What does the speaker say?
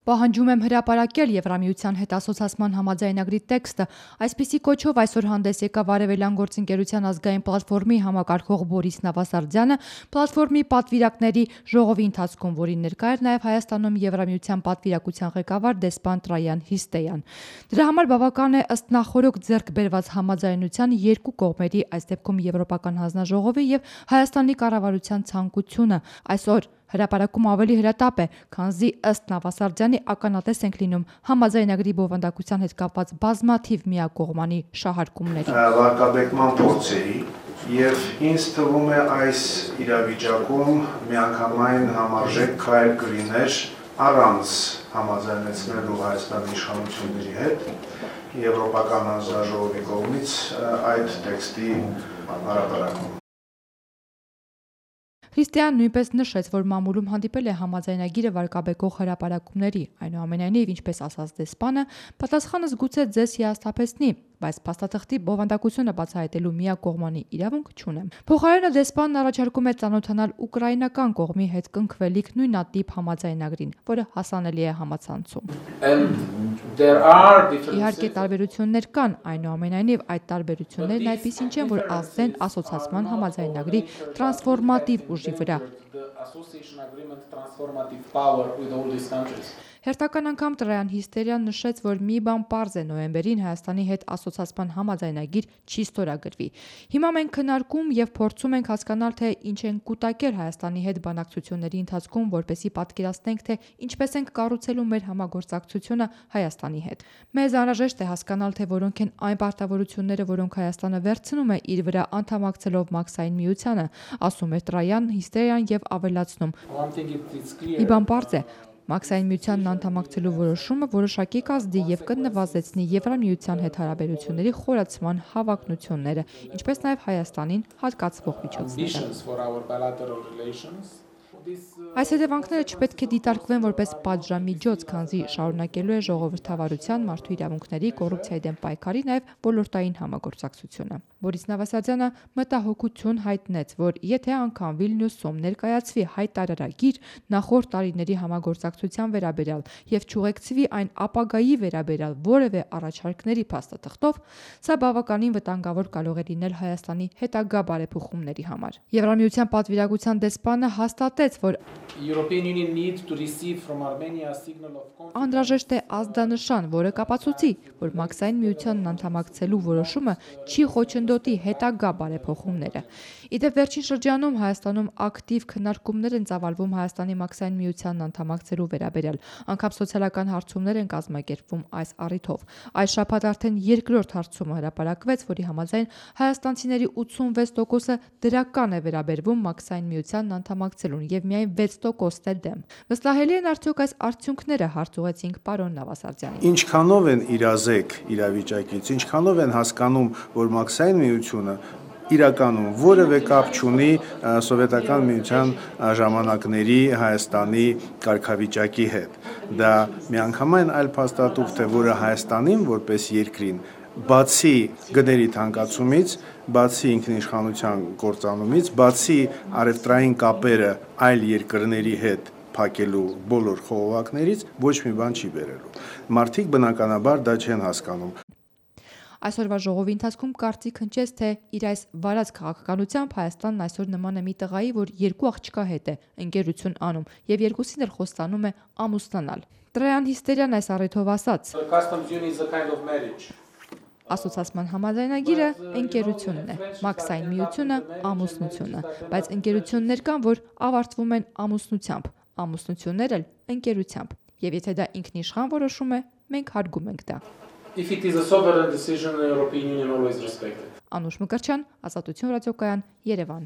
Պահանջում եմ հրապարակել Եվրամիության հետ ասոցացման համաձայնագրի տեքստը։ Այսպիսի կոչով այսօր հանդես եկավ Արևելյան գործընկերության ազգային պլատֆորմի համակարգող Բորիս Նավասարդյանը պլատֆորմի պատվիրակների ժողովի ընթացքում, որին ներկա էր նաև Հայաստանում Եվրամիության պատվիրակության ղեկավար դեսպան Տրայան Հիստեյան։ Դրա համար բավական է ըստ նախորոք ձեռք բերված համաձայնության երկու կողմերի, այս դեպքում Եվրոպական հանձնաժողովի եւ Հայաստանի կառավարության ցանկությունը այսօր հրապարակում ավելի հրատապ է, քանզի ըստ Նավասարդյանի ականատես ենք լինում համաձայնագրի բովանդակության հետ կապված բազմաթիվ միակողմանի շահարկումների։ Վարկաբեկման փորձերի եւ ինձ թվում է այս իրավիճակում միանգամայն համարժեք քայլ կլիներ առանց համաձայնեցնելու Հայաստանի իշխանությունների հետ Եվրոպական հանձնաժողովի կողմից այդ տեքստի հրապարակում։ Հիստեան նույնպես նշեց, որ մամուլում հանդիպել է համաձայնագիրը վարկաբեկող հրապարակումների, այնուամենայնիվ, ինչպես ասաց դեսպանը, պատասխանը զգուշ ձեզ հիասթափեցնի, բայց փաստաթղթի բովանդակությունը բացահայտելու միակողմանի իրավունք չունեմ։ Փոխարենը դեսպանն առաջարկում է ծանոթանալ ուկրաինական կողմի հետ կնքվելիք նույնատիպ համաձայնագրին, որը հասանելի է համացանցում։ Իհարկե տարբերություններ կան, այնուամենայնիվ այդ տարբերություններն այդպիսին չեն, որ ազդեն ասոցացման համաձայնագրի տրանսֆորմատիվ ուժի վրա։ Հերթական անգամ Տրայան Հիստերյան նշեց, որ մի բան պարզ է նոյեմբերին Հայաստանի հետ ասոցացման համաձայնագիր չի ստորագրվի։ Հիմա մենք քննարկում եւ փորձում ենք հասկանալ, թե ինչ են կուտակել Հայաստանի հետ բանակցությունների ընթացքում, որպեսզի պատկերացնենք, թե ինչպես ենք կառուցելու մեր համագործակցությունը Հայաստանի հետ։ Մեզ անհրաժեշտ է հասկանալ, թե որոնք են այն պարտավորությունները, որոնք Հայաստանը վերցնում է իր վրա անդամակցելով Մաքսային միությանը, ասում է Տրայան Հիստերյան եւ ավելացնում. Մի բան պարզ է, Մաքսային միությանն անդամակցելու որոշումը որոշակի կազդի եւ կնվազեցնի Եվրամիության հետ հարաբերությունների խորացման հավակնությունները, ինչպես նաեւ Հայաստանին հատկացվող միջոցները։ Այս հետևանքները չպետք է դիտարկվեն որպես պատժամիջոց, քանզի շարունակելու է ժողովրդավարության, մարդու իրավունքների, կոռուպցիայի դեմ պայքարի, նաև ոլորտային համագործակցությունը։ Բորիս Նավասարդյանը մտահոգություն հայտնեց, որ եթե անգամ Վիլնյուսում ներկայացվի հայտարարագիր նախորդ տարիների համագործակցության վերաբերյալ եւ չուղեկցվի այն ապագայի վերաբերյալ որևէ առաջարկների փաստաթղթով, սա բավականին վտանգավոր կարող է լինել Հայաստանի հետագա բարեփոխումների համար։ Եվրամիության պատվիրակության դեսպանը հաստատեց, որ անհրաժեշտ է ազդանշան, որը կապացուցի, որ Մաքսային միությանն անդամակցելու որոշումը չի խոչընդոտի հետագա բարեփոխումները։ Իդեպ վերջին շրջանում Հայաստանում ակտիվ քննարկումներ են ծավալվում Հայաստանի Մաքսային միությանն անդամակցելու վերաբերյալ, անգամ սոցիալական հարցումներ են կազմակերպվում այս առիթով։ Այս շաբաթ արդեն երկրորդ հարցումը հրապարակվեց, որի համաձայն հայաստանցիների 86%-ը դրական է վերաբերվում Մաքսային միությանն անդամակցելուն եւ միայն 6%-ն է դեմ։ Վստահելի են արդյոք այս արդյունքները, հարց ուղեցինք պարոն Նավասարդյանին։ Ինչքանով են իրազեկ իրավիճակից, ինչքանով են հասկանում, որ Մաքսային միությունը իրականում որևէ կապ չունի սովետական միության ժամանակների Հայաստանի կարգավիճակի հետ։ Դա միանգամայն այլ փաստաթուղթ է, որը Հայաստանին որպես երկրին բացի գների թանկացումից, բացի ինքնիշխանության կործանումից, բացի առևտրային կապերը այլ երկրների հետ փակելու բոլոր խողովակներից ոչ մի բան չի բերելու։ Մարդիկ բնականաբար դա չեն հասկանում։ Այսօրվա ժողովի ընթացքում կարծիք հնչեց, թե իր այս վարած քաղաքականությամբ Հայաստանն այսօր նման է մի տղայի, որ երկու աղջկա հետ է ընկերություն անում եւ երկուսին էլ խոստանում է ամուսնանալ։ Տրայան Հիստերյան այս առիթով ասաց. Ասոցացման համաձայնագիրը ընկերությունն է, Մաքսային միությունը ամուսնությունը, բայց ընկերություններ կան, որ ավարտվում են ամուսնությամբ, ամուսնություններ էլ ընկերությամբ։ Եվ եթե դա ինքնիշխան որոշում է, մենք հարգում ենք դա։ If it is a sovereign decision, the European Union always respects it. Անուշ Մկրտչյան, Ազատություն ռադիոկայան, Երևան։